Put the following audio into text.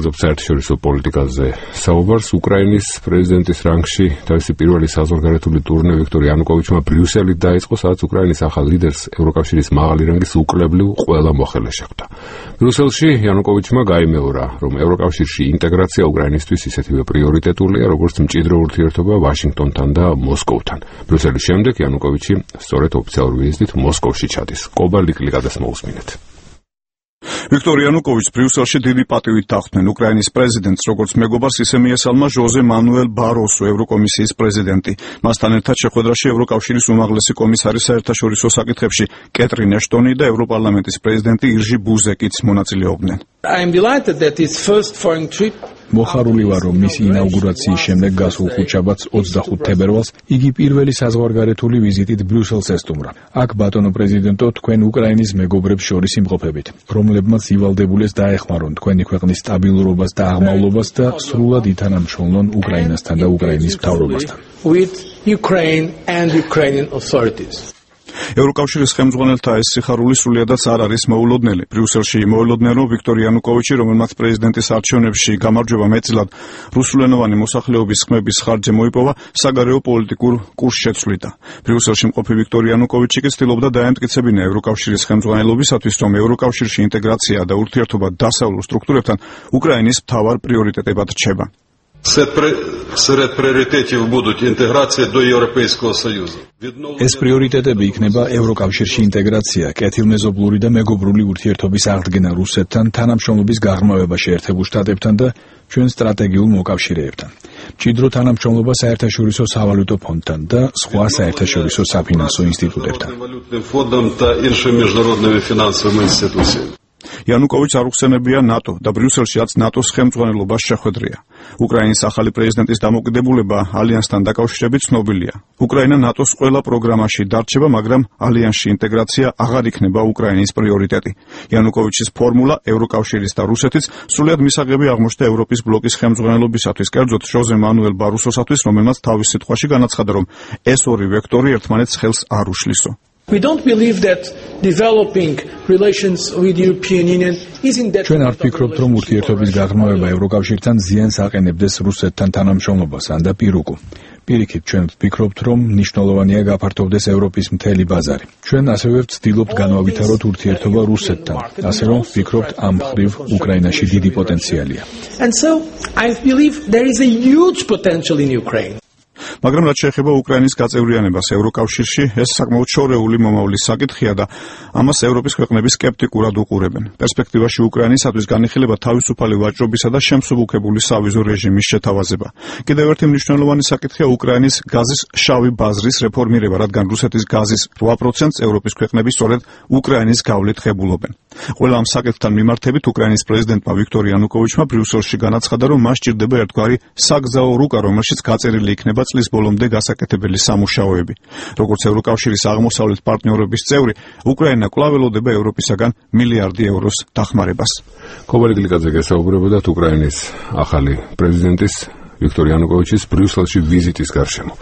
გავაგზავნებთ საერთაშორისო პოლიტიკაზე საუბარს. უკრაინის პრეზიდენტის რანგში თავისი პირველი საზღვარგარეთული ტურნე ვიქტორ იანუკოვიჩმა ბრიუსელით დაიწყო, სადაც უკრაინის ახალ ლიდერს ევროკავშირის მაღალი რანგის უკლებლივ ყველა მოხელე შეხვდა. ბრიუსელში იანუკოვიჩმა გაიმეორა, რომ ევროკავშირში ინტეგრაცია უკრაინისთვის ისეთივე პრიორიტეტულია, როგორც მჭიდრო ურთიერთობა ვაშინგტონთან და მოსკოვთან. ბრიუსელის შემდეგ იანუკოვიჩი სწორედ ოფიციალურ ვიზიტით მოსკოვში ჩადის. კობა ლიკლიკადეს მოусმინეთ. ვიქტორ იანუკოვიჩს ბრიუსელში დიდი პატივით დახვდნენ უკრაინის პრეზიდენტს, როგორც მეგობარს, ისე მიესალმა ჟოზე მანუელ ბაროსო, ევროკომისიის პრეზიდენტი. მასთან ერთად შეხვედრაში ევროკავშირის უმაღლესი კომისარი საერთაშორისო საკითხებში კეტრინ ეშტონი და ევროპარლამენტის პრეზიდენტი ირჟი ბუზეკიც მონაწილეობდნენ. მოხარული ვარ, რომ მისი ინაუგურაციის შემდეგ გასულ ხუთშაბათს 25 თებერვალს იგი პირველი საზღვარგარეთული ვიზიტით ბრიუსელს ესტუმრა. აქ ბატონო პრეზიდენტო, თქვენ უკრაინის მეგობრებს შორის იმყოფებით, რომლებმაც ივალდებულეს დაეხმარონ თქვენი ქვეყნის სტაბილურობას და აღმავლობას და სრულად ითანამშრომლონ უკრაინასთან და უკრაინის მთავრობასთან. ევროკავშირის ხელმძღვანელთა ეს სიხარული სრულიადაც არ არის მოულოდნელი. ბრიუსელში მოულოდნელი, რომ ვიქტორ იანუკოვიჩი, რომელმაც პრეზიდენტის არჩევნებში გამარჯვება მეტწილად რუსულენოვანი მოსახლეობის ხმების ხარჯზე მოიპოვა, საგარეო პოლიტიკურ კურსს შეცვლიდა. ბრიუსელში მყოფი ვიქტორ იანუკოვიჩი კი ცდილობდა დაემტკიცებინა ევროკავშირის ხელმძღვანელობისათვის, რომ ევროკავშირში ინტეგრაცია და ურთიერთობა დასავლურ სტრუქტურებთან უკრაინის მთავარ პრიორიტეტებად რჩება. Серед пріоритетів будуть інтеграція до Європейського Союзу. ეს პრიორიტეტები იქნება ევროკავშირში ინტეგრაცია, კეთილმეზობლური და მეგობრული ურთიერთობის აღდგენა რუსეთთან, თანამშრომლობის გაღრმავება შეერთებულ შტატებთან და ჩვენ სტრატეგიულ მოკავშირეებთან. მჭიდრო თანამშრომლობა საერთაშორისო სავალუტო ფონდთან და სხვა საერთაშორისო საფინანსო ინსტიტუტებთან. იანუკოვიჩს არ უხსენებია ნატო და ბრიუსელშიაც ნატოს ხელმძღვანელობას შეხვედრია. უკრაინის ახალი პრეზიდენტის დამოკიდებულება ალიანსთან დაკავშირებით ცნობილია. უკრაინა ნატოს ყველა პროგრამაში დარჩება, მაგრამ ალიანსში ინტეგრაცია აღარ იქნება უკრაინის პრიორიტეტი. იანუკოვიჩის ფორმულა ევროკავშირის და რუსეთის სრულიად მისაღები აღმოჩნდა ევროპის ბლოკის ხელმძღვანელობისათვის, კერძოდ ჟოზე მანუელ ბაროსოსათვის, რომელმაც თავის სიტყვაში განაცხადა, რომ ეს ორი ვექტორი ერთმანეთს ხელს არ უშლისო. ჩვენ არ ვფიქრობთ, რომ ურთიერთობის გაღრმავება ევროკავშირთან ზიანს აყენებდეს რუსეთთან თანამშრომლობას ან და პირუკუ. პირიქით, ჩვენ ვფიქრობთ, რომ მნიშვნელოვანია გაფართოვდეს ევროპის მთელი ბაზარი. ჩვენ ასევე ვცდილობთ განვავითაროთ ურთიერთობა რუსეთთან, ასე რომ ვფიქრობთ, ამ მხრივ უკრაინაში დიდი პოტენციალია. მაგრამ რაც შეეხება უკრაინის გაწევრიანებას ევროკავშირში, ეს საკმაოდ შორეული მომავლის საკითხია და ამას ევროპის ქვეყნები სკეპტიკურად უყურებენ. პერსპექტივაში უკრაინისათვის განიხილება თავისუფალი ვაჭრობისა და შემსუბუქებული სავიზო რეჟიმის შეთავაზება. კიდევ ერთი მნიშვნელოვანი საკითხია უკრაინის გაზის შავი ბაზრის რეფორმირება, რადგან რუსეთის გაზის 8%-ს ევროპის ქვეყნები სწორედ უკრაინის გავლით ღებულობენ. ყველა ამ საკითხთან მიმართებით უკრაინის პრეზიდენტმა ვიქტორ იანუკოვიჩმა ბრიუსელში განაცხადა, რომ მას სჭირდება ერთგვარი საგზაო რუკა, რომელშიც გაწერილი იქნება წლის ბოლომდე გასაკეთებელი სამუშაოები. როგორც ევროკავშირის აღმოსავლეთ პარტნიორობის წევრი, უკრაინა კვლავ ელოდება ევროპისაგან მილიარდი ევროს დახმარებას. კობა ლიკლიკაძე გესაუბრებოდათ უკრაინის ახალი პრეზიდენტის ვიქტორ იანუკოვიჩის ბრიუსელში ვიზიტის გარშემო.